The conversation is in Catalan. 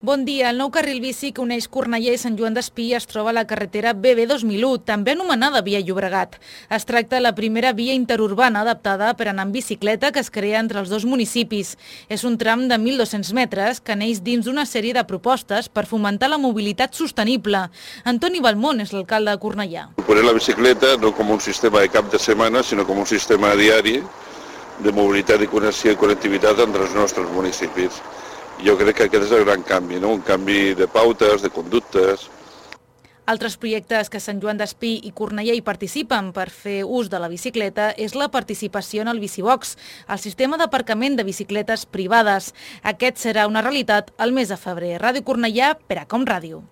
Bon dia. El nou carril bici que uneix Cornellà i Sant Joan d'Espí es troba a la carretera BB 2001, també anomenada Via Llobregat. Es tracta de la primera via interurbana adaptada per anar en bicicleta que es crea entre els dos municipis. És un tram de 1.200 metres que neix dins d'una sèrie de propostes per fomentar la mobilitat sostenible. Antoni Balmón és l'alcalde de Cornellà. Poner la bicicleta no com un sistema de cap de setmana, sinó com un sistema diari de mobilitat i connexió i connectivitat entre els nostres municipis. Jo crec que aquest és el gran canvi, no? Un canvi de pautes, de conductes. Altres projectes que Sant Joan d'Espí i Cornellà hi participen per fer ús de la bicicleta és la participació en el Bicibox, el sistema d'aparcament de bicicletes privades. Aquest serà una realitat el mes de febrer. Ràdio Cornellà, per a Com Ràdio.